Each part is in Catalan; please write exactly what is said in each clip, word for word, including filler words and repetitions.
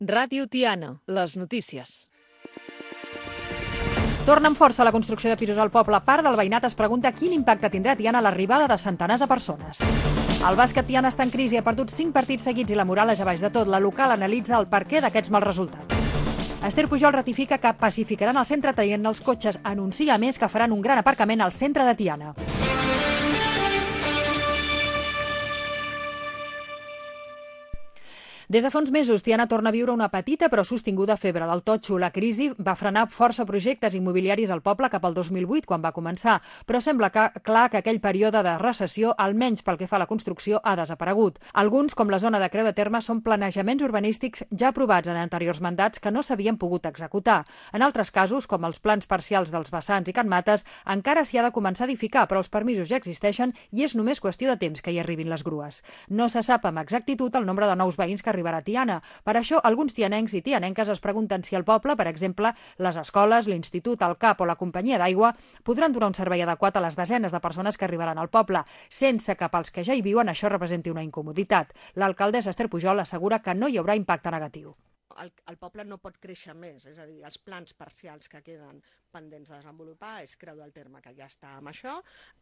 Ràdio Tiana, les notícies. Torna amb força la construcció de pisos al poble. Part del veïnat es pregunta quin impacte tindrà Tiana l'arribada de centenars de persones. El bàsquet Tiana està en crisi, ha perdut cinc partits seguits i la moral és a baix de tot. La local analitza el perquè d'aquests mals resultats. Esther Pujol ratifica que pacificaran el centre traient els cotxes. Anuncia, a més, que faran un gran aparcament al centre de Tiana. Des de fa uns mesos, Tiana torna a viure una petita però sostinguda febre del totxo. La crisi va frenar força projectes immobiliaris al poble cap al dos mil vuit, quan va començar, però sembla que, clar que aquell període de recessió, almenys pel que fa a la construcció, ha desaparegut. Alguns, com la zona de Creu de Terme, són planejaments urbanístics ja aprovats en anteriors mandats que no s'havien pogut executar. En altres casos, com els plans parcials dels vessants i Can Mates, encara s'hi ha de començar a edificar, però els permisos ja existeixen i és només qüestió de temps que hi arribin les grues. No se sap amb exactitud el nombre de nous veïns que arribarà a Tiana. Per això, alguns tianencs i tianenques es pregunten si el poble, per exemple, les escoles, l'institut, el CAP o la companyia d'aigua, podran donar un servei adequat a les desenes de persones que arribaran al poble, sense que pels que ja hi viuen això representi una incomoditat. L'alcaldessa Esther Pujol assegura que no hi haurà impacte negatiu. El, el poble no pot créixer més, és a dir, els plans parcials que queden pendents de desenvolupar és Creu del Terme, que ja està amb això,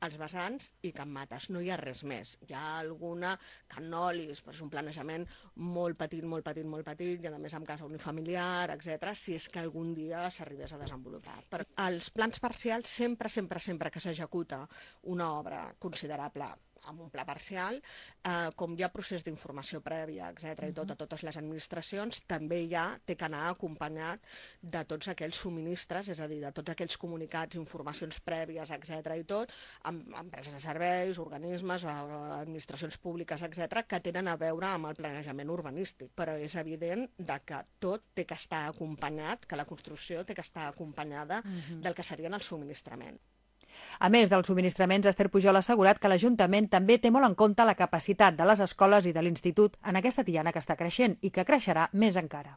els vessants i Can Mates, no hi ha res més. Hi ha alguna Canolis, però és un planejament molt petit, molt petit, molt petit, i a més amb casa unifamiliar, etcètera, si és que algun dia s'arribés a desenvolupar. Per els plans parcials, sempre, sempre, sempre que s'executa una obra considerable amb un pla parcial, eh, com hi ha procés d'informació prèvia, etcètera, i tot a totes les administracions, també ja té que anar acompanyat de tots aquells subministres, és a dir, de tots aquells comunicats, informacions prèvies, etcètera, i tot, amb empreses de serveis, organismes, administracions públiques, etcètera, que tenen a veure amb el planejament urbanístic. Però és evident de que tot té que estar acompanyat, que la construcció té que estar acompanyada uh-huh. del que serien els subministraments. A més dels subministraments, Esther Pujol ha assegurat que l'Ajuntament també té molt en compte la capacitat de les escoles i de l'Institut en aquesta Tiana que està creixent i que creixerà més encara.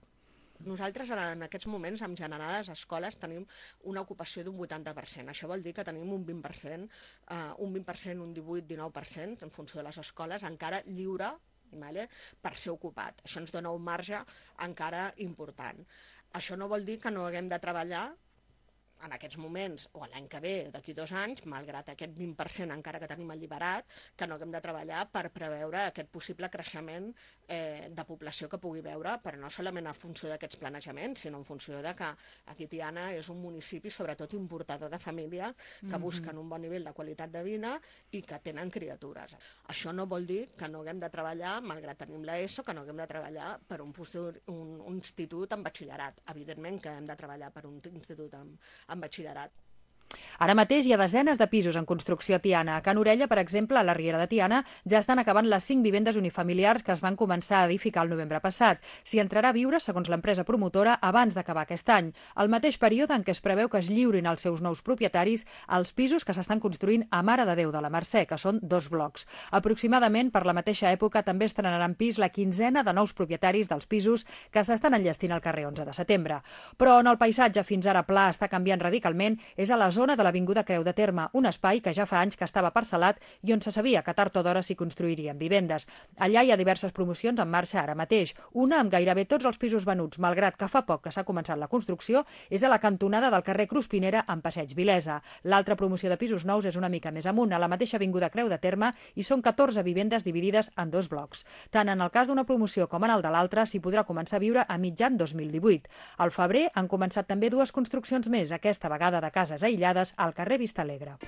Nosaltres en aquests moments, en general, a les escoles tenim una ocupació d'un vuitanta per cent. Això vol dir que tenim un vint per cent, uh, un vint per cent, un divuit dinou per cent, en funció de les escoles, encara lliure vale, per ser ocupat. Això ens dona un marge encara important. Això no vol dir que no haguem de treballar en aquests moments, o l'any que ve, d'aquí dos anys, malgrat aquest vint per cent encara que tenim alliberat, que no haguem de treballar per preveure aquest possible creixement eh, de població que pugui veure, però no solament en funció d'aquests planejaments, sinó en funció de que aquí Tiana és un municipi, sobretot importador de família, que mm-hmm. busquen un bon nivell de qualitat de vida i que tenen criatures. Això no vol dir que no haguem de treballar, malgrat tenim l'ESO, que no haguem de treballar per un, un, un institut en batxillerat. Evidentment que hem de treballar per un institut en en batxillerat. Ara mateix hi ha desenes de pisos en construcció a Tiana. A Can Orella, per exemple, a la Riera de Tiana, ja estan acabant les cinc vivendes unifamiliars que es van començar a edificar el novembre passat. S'hi entrarà a viure, segons l'empresa promotora, abans d'acabar aquest any, el mateix període en què es preveu que es lliurin als seus nous propietaris els pisos que s'estan construint a Mare de Déu de la Mercè, que són dos blocs. Aproximadament per la mateixa època també estrenaran pis la quinzena de nous propietaris dels pisos que s'estan enllestint al carrer onze de setembre. Però on el paisatge fins ara pla està canviant radicalment és a la zona de l'Avinguda Creu de Terme, un espai que ja fa anys que estava parcel·lat i on se sabia que tard o d'hora s'hi construirien vivendes. Allà hi ha diverses promocions en marxa ara mateix. Una amb gairebé tots els pisos venuts, malgrat que fa poc que s'ha començat la construcció, és a la cantonada del carrer Cruspinera amb Passeig Vilesa. L'altra promoció de pisos nous és una mica més amunt, a la mateixa Avinguda Creu de Terme, i són catorze vivendes dividides en dos blocs. Tant en el cas d'una promoció com en el de l'altra s'hi podrà començar a viure a mitjan dos mil divuit. Al febrer han començat també dues construccions més, aquesta vegada de cases aïllades al carrer Vistalegre.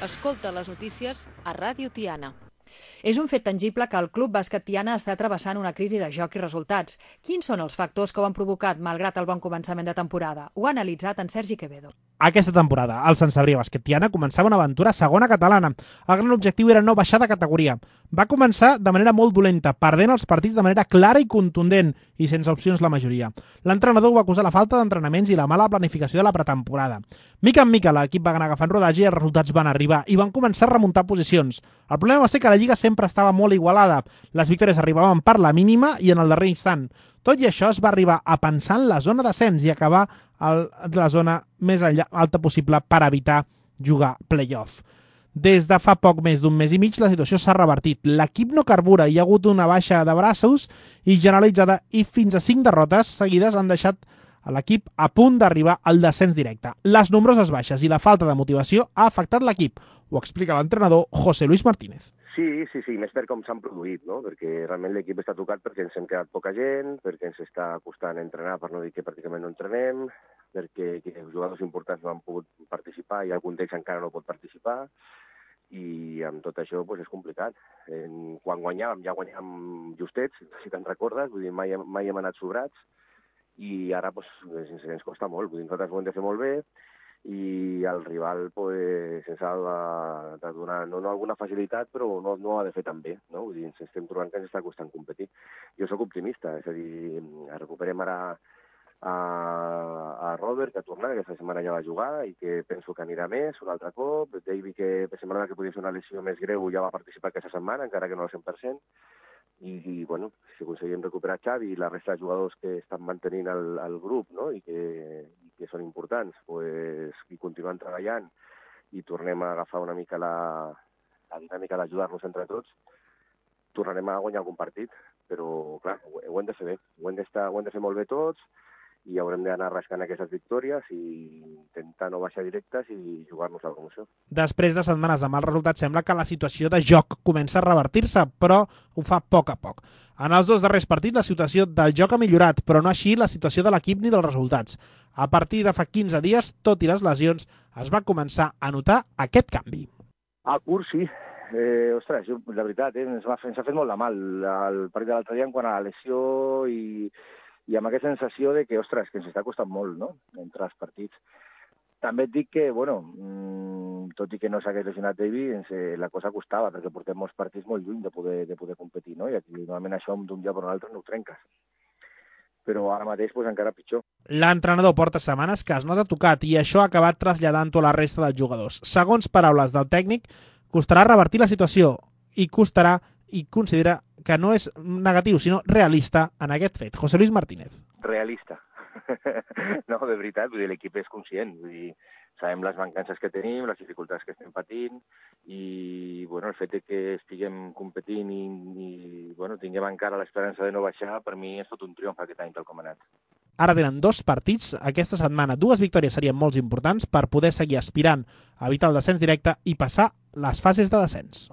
Escolta les notícies a Ràdio Tiana. És un fet tangible que el Club Bàsquet Tiana està travessant una crisi de joc i resultats. Quins són els factors que ho han provocat malgrat el bon començament de temporada? Ho ha analitzat en Sergi Quevedo. Aquesta temporada, el Sant Cebrià Bàsquet Tiana començava una aventura a segona catalana. El gran objectiu era no baixar de categoria. Va començar de manera molt dolenta, perdent els partits de manera clara i contundent, i sense opcions la majoria. L'entrenador va acusar la falta d'entrenaments i la mala planificació de la pretemporada. Mica en mica l'equip va anar agafant rodatge i els resultats van arribar i van començar a remuntar posicions. El problema va ser que la Lliga sempre estava molt igualada. Les victòries arribaven per la mínima i en el darrer instant. Tot i això es va arribar a pensar en la zona d'ascens i acabar a la zona més alta possible per evitar jugar play-off. Des de fa poc més d'un mes i mig la situació s'ha revertit. L'equip no carbura, hi ha hagut una baixa de braços i generalitzada i fins a cinc derrotes seguides han deixat a l'equip a punt d'arribar al descens directe. Les nombroses baixes i la falta de motivació ha afectat l'equip. Ho explica l'entrenador José Luis Martínez. Sí, sí, sí, més per com s'han produït, no? Perquè realment l'equip està tocat perquè ens hem quedat poca gent, perquè ens està costant entrenar, per no dir que pràcticament no entrenem, perquè els jugadors importants no han pogut participar i algun d'ells encara no pot participar, i amb tot això doncs, és complicat. En, quan guanyàvem, ja guanyàvem justets, si te'n recordes, vull dir, mai, mai hem anat sobrats, i ara doncs, ens, ens costa molt, vull dir, nosaltres ho hem de fer molt bé, i el rival pues, ens ha de, de donar no, no alguna facilitat, però no, no ha de fer tan bé, no? Vull dir, ens estem trobant que ens està costant competir. Jo sóc optimista, és a dir, recuperem ara a, a Robert, que ha tornat, aquesta setmana ja va jugar i que penso que anirà més un altre cop. David, que semblava que podia ser una lesió més greu, ja va participar aquesta setmana, encara que no al cent per cent. I, i bueno, si aconseguim recuperar Xavi i la resta de jugadors que estan mantenint el, el grup, no? I, que, i que són importants, pues, i continuem treballant i tornem a agafar una mica la, la dinàmica d'ajudar-nos entre tots, tornarem a guanyar algun partit, però clar, ho, ho hem de fer bé, ho hem, ho hem de fer molt bé tots, i haurem d'anar rascant aquestes victòries i intentar no baixar directes i jugar-nos la promoció. Després de setmanes de mals resultats, sembla que la situació de joc comença a revertir-se, però ho fa a poc a poc. En els dos darrers partits la situació del joc ha millorat, però no així la situació de l'equip ni dels resultats. A partir de fa quinze dies, tot i les lesions, es va començar a notar aquest canvi. A curs, sí. Eh, ostres, jo, la veritat, eh, ens, va, ens ha fet molt de mal el partit de l'altre dia en quant a la lesió i... i amb aquesta sensació de que, ostres, que ens està costant molt, no?, entre els partits. També et dic que, bueno, mmm, tot i que no s'hagués lesionat David, eh, la cosa costava, perquè portem molts partits molt lluny de poder, de poder competir, no?, i aquí normalment això d'un dia per un altre no ho trenques. Però ara mateix pues, encara pitjor. L'entrenador porta setmanes que es nota tocat i això ha acabat traslladant-ho a la resta dels jugadors. Segons paraules del tècnic, costarà revertir la situació i costarà i considera que no és negatiu, sinó realista en aquest fet. José Luis Martínez. Realista. No, de veritat, vull dir, l'equip és conscient. Vull dir, sabem les mancances que tenim, les dificultats que estem patint i bueno, el fet de que estiguem competint i, i bueno, tinguem encara l'esperança de no baixar, per mi és tot un triomf aquest any tal com ha anat. Ara tenen dos partits aquesta setmana. Dues victòries serien molt importants per poder seguir aspirant a evitar el descens directe i passar les fases de descens.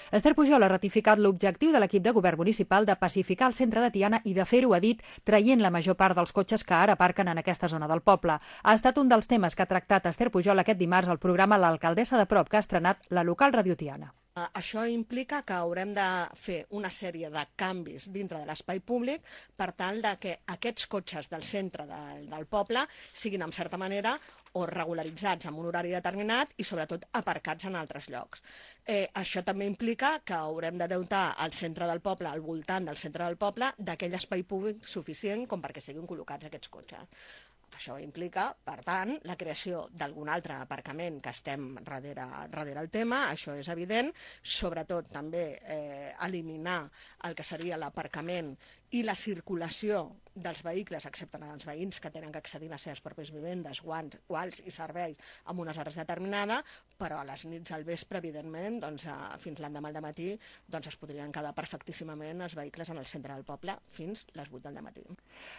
Esther Pujol ha ratificat l'objectiu de l'equip de govern municipal de pacificar el centre de Tiana i de fer-ho, ha dit, traient la major part dels cotxes que ara aparquen en aquesta zona del poble. Ha estat un dels temes que ha tractat Esther Pujol aquest dimarts al programa L'Alcaldessa de Prop, que ha estrenat la local Radio Tiana. Això implica que haurem de fer una sèrie de canvis dintre de l'espai públic per tal de que aquests cotxes del centre del, del poble siguin, en certa manera, o regularitzats en un horari determinat i, sobretot, aparcats en altres llocs. Eh, això també implica que haurem de dotar al centre del poble, al voltant del centre del poble, d'aquell espai públic suficient com perquè siguin col·locats aquests cotxes. Això implica, per tant, la creació d'algun altre aparcament que estem darrere, darrere el tema, això és evident, sobretot també eh, eliminar el que seria l'aparcament i la circulació dels vehicles, excepte els veïns que tenen que accedir a les seves pròpies vivendes, guants, guals i serveis en unes hores determinades, però a les nits al vespre, evidentment, doncs, fins l'endemà al matí, doncs es podrien quedar perfectíssimament els vehicles en el centre del poble fins les vuit del matí.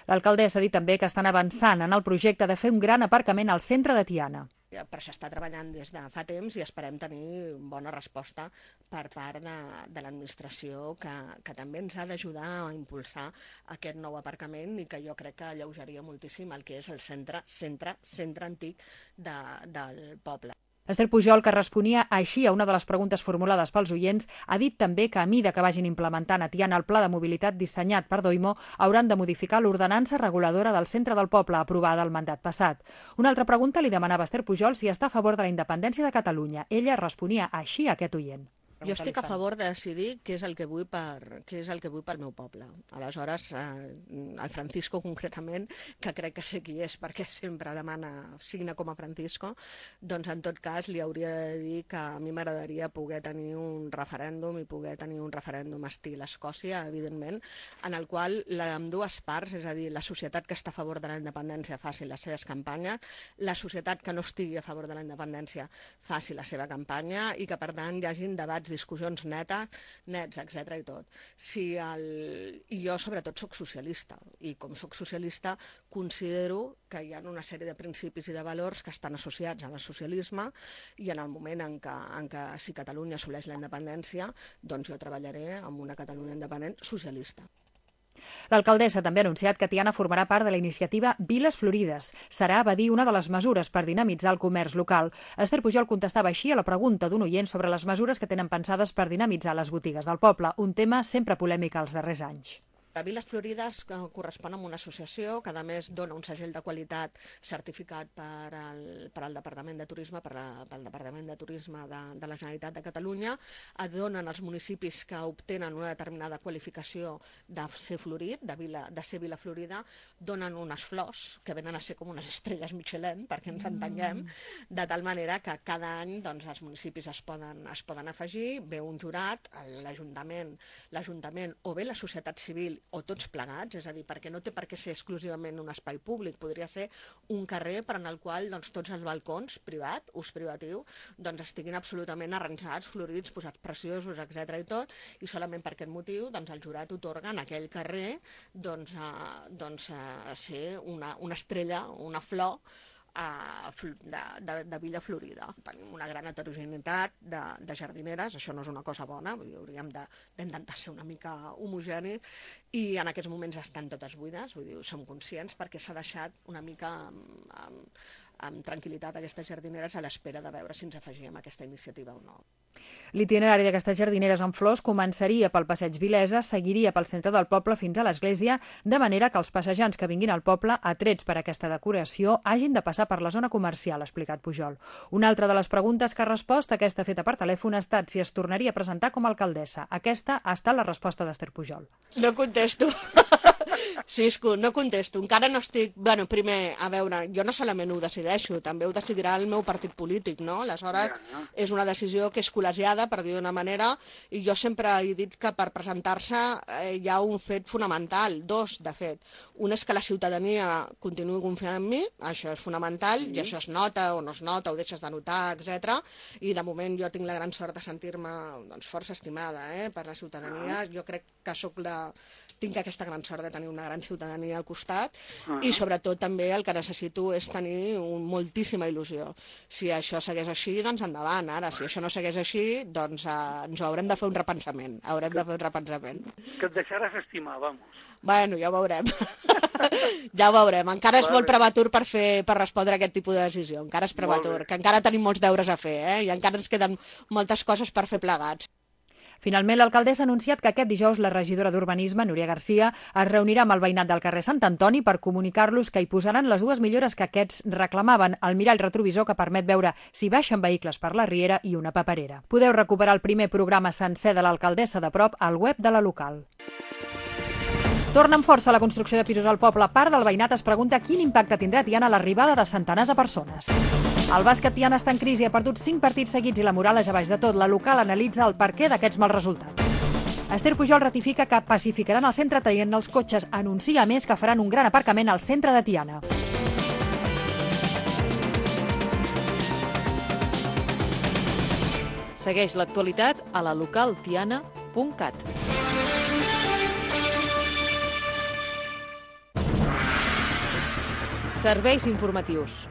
L'alcaldessa ha dit també que estan avançant en el projecte de fer un gran aparcament al centre de Tiana. Per això està treballant des de fa temps i esperem tenir bona resposta per part de, de l'administració que, que també ens ha d'ajudar a impulsar aquest nou aparcament i que jo crec que alleujaria moltíssim el que és el centre, centre, centre antic de, del poble. Esther Pujol, que responia així a una de les preguntes formulades pels oients, ha dit també que a mida que vagin implementant a Tiana el pla de mobilitat dissenyat per Doimo, hauran de modificar l'ordenança reguladora del centre del poble aprovada el mandat passat. Una altra pregunta li demanava a Esther Pujol si està a favor de la independència de Catalunya. Ella responia així a aquest oient. Jo estic a favor de decidir què és el que vull per, què és el que vull pel meu poble. Aleshores, eh, el Francisco concretament, que crec que sé qui és perquè sempre demana signa com a Francisco, doncs en tot cas li hauria de dir que a mi m'agradaria poder tenir un referèndum i poder tenir un referèndum estil Escòcia, evidentment, en el qual la, amb dues parts, és a dir, la societat que està a favor de la independència faci les seves campanyes, la societat que no estigui a favor de la independència faci la seva campanya i que, per tant, hi hagin debats, discussions netes, nets, etcètera i tot. Si el... I jo, sobretot, sóc socialista, i com sóc socialista, considero que hi ha una sèrie de principis i de valors que estan associats al socialisme i en el moment en què, en què si Catalunya assoleix la independència, doncs jo treballaré amb una Catalunya independent socialista. L'alcaldessa també ha anunciat que Tiana formarà part de la iniciativa Viles Florides. Serà, va dir, una de les mesures per dinamitzar el comerç local. Esther Pujol contestava així a la pregunta d'un oient sobre les mesures que tenen pensades per dinamitzar les botigues del poble, un tema sempre polèmic als darrers anys. La Viles Florides correspon a una associació que a més dona un segell de qualitat certificat per al, per al Departament de Turisme, per la, pel Departament de Turisme de, de la Generalitat de Catalunya, et donen als municipis que obtenen una determinada qualificació de ser florit, de, vila, de ser Vila Florida, donen unes flors que venen a ser com unes estrelles Michelin, perquè ens entenguem, de tal manera que cada any doncs, els municipis es poden, es poden afegir, ve un jurat, l'Ajuntament, l'Ajuntament o bé la societat civil o tots plegats, és a dir, perquè no té per què ser exclusivament un espai públic, podria ser un carrer per en el qual doncs, tots els balcons, privat, ús privatiu, doncs estiguin absolutament arranjats, florits, posats preciosos, etcètera i tot, i solament per aquest motiu doncs, el jurat otorga en aquell carrer doncs, a, doncs, a ser una, una estrella, una flor, De, de, de Vila Florida. Tenim una gran heterogeneïtat de, de jardineres, això no és una cosa bona, vull dir, hauríem d'intentar ser una mica homogenis i en aquests moments estan totes buides, vull dir, som conscients perquè s'ha deixat una mica amb, amb, amb tranquil·litat aquestes jardineres a l'espera de veure si ens afegíem a aquesta iniciativa o no. L'itinerari d'aquestes jardineres amb flors començaria pel passeig Vilesa, seguiria pel centre del poble fins a l'església, de manera que els passejants que vinguin al poble, atrets per aquesta decoració, hagin de passar per la zona comercial, ha explicat Pujol. Una altra de les preguntes que ha respost, aquesta feta per telèfon, ha estat si es tornaria a presentar com a alcaldessa. Aquesta ha estat la resposta d'Esther Pujol. No contesto. Cisco, no contesto. Encara no estic... Bueno, primer, a veure, jo no solament ho decideixo, també ho decidirà el meu partit polític, no? Aleshores, és una decisió que és col·legiada, per dir d'una manera, i jo sempre he dit que per presentar-se eh, hi ha un fet fonamental, dos, de fet. Un és que la ciutadania continuï confiant en mi, això és fonamental, i això es nota o no es nota, ho deixes de notar, etcètera. I de moment jo tinc la gran sort de sentir-me doncs, força estimada eh, per la ciutadania. Jo crec que soc la... tinc aquesta gran sort de tenir una gran ciutadania al costat uh-huh. i sobretot també el que necessito és tenir un, moltíssima il·lusió. Si això segueix així, doncs endavant. Ara, si això no segueix així, doncs eh, ens haurem de fer un repensament. Haurem de fer un repensament. Que et deixaràs estimar, vamos. Bueno, ja ho veurem. Ja ho veurem. Encara és molt prematur per, fer, per respondre a aquest tipus de decisió. Encara és prematur, que encara tenim molts deures a fer, eh? I encara ens queden moltes coses per fer plegats. Finalment, l'alcaldessa ha anunciat que aquest dijous la regidora d'Urbanisme, Núria Garcia, es reunirà amb el veïnat del carrer Sant Antoni per comunicar-los que hi posaran les dues millores que aquests reclamaven, el mirall retrovisor que permet veure si baixen vehicles per la riera i una paperera. Podeu recuperar el primer programa sencer de l'alcaldessa de prop al web de la local. Torna amb força la construcció de pisos al poble. Part del veïnat es pregunta quin impacte tindrà Tiana l'arribada de centenars de persones. El bàsquet Tiana està en crisi, ha perdut cinc partits seguits i la moral és a baix de tot. La local analitza el perquè d'aquests mals resultats. Esther Pujol ratifica que pacificaran el centre traient els cotxes. Anuncia a més que faran un gran aparcament al centre de Tiana. Segueix l'actualitat a la local tiana punt cat. Serveis informatius.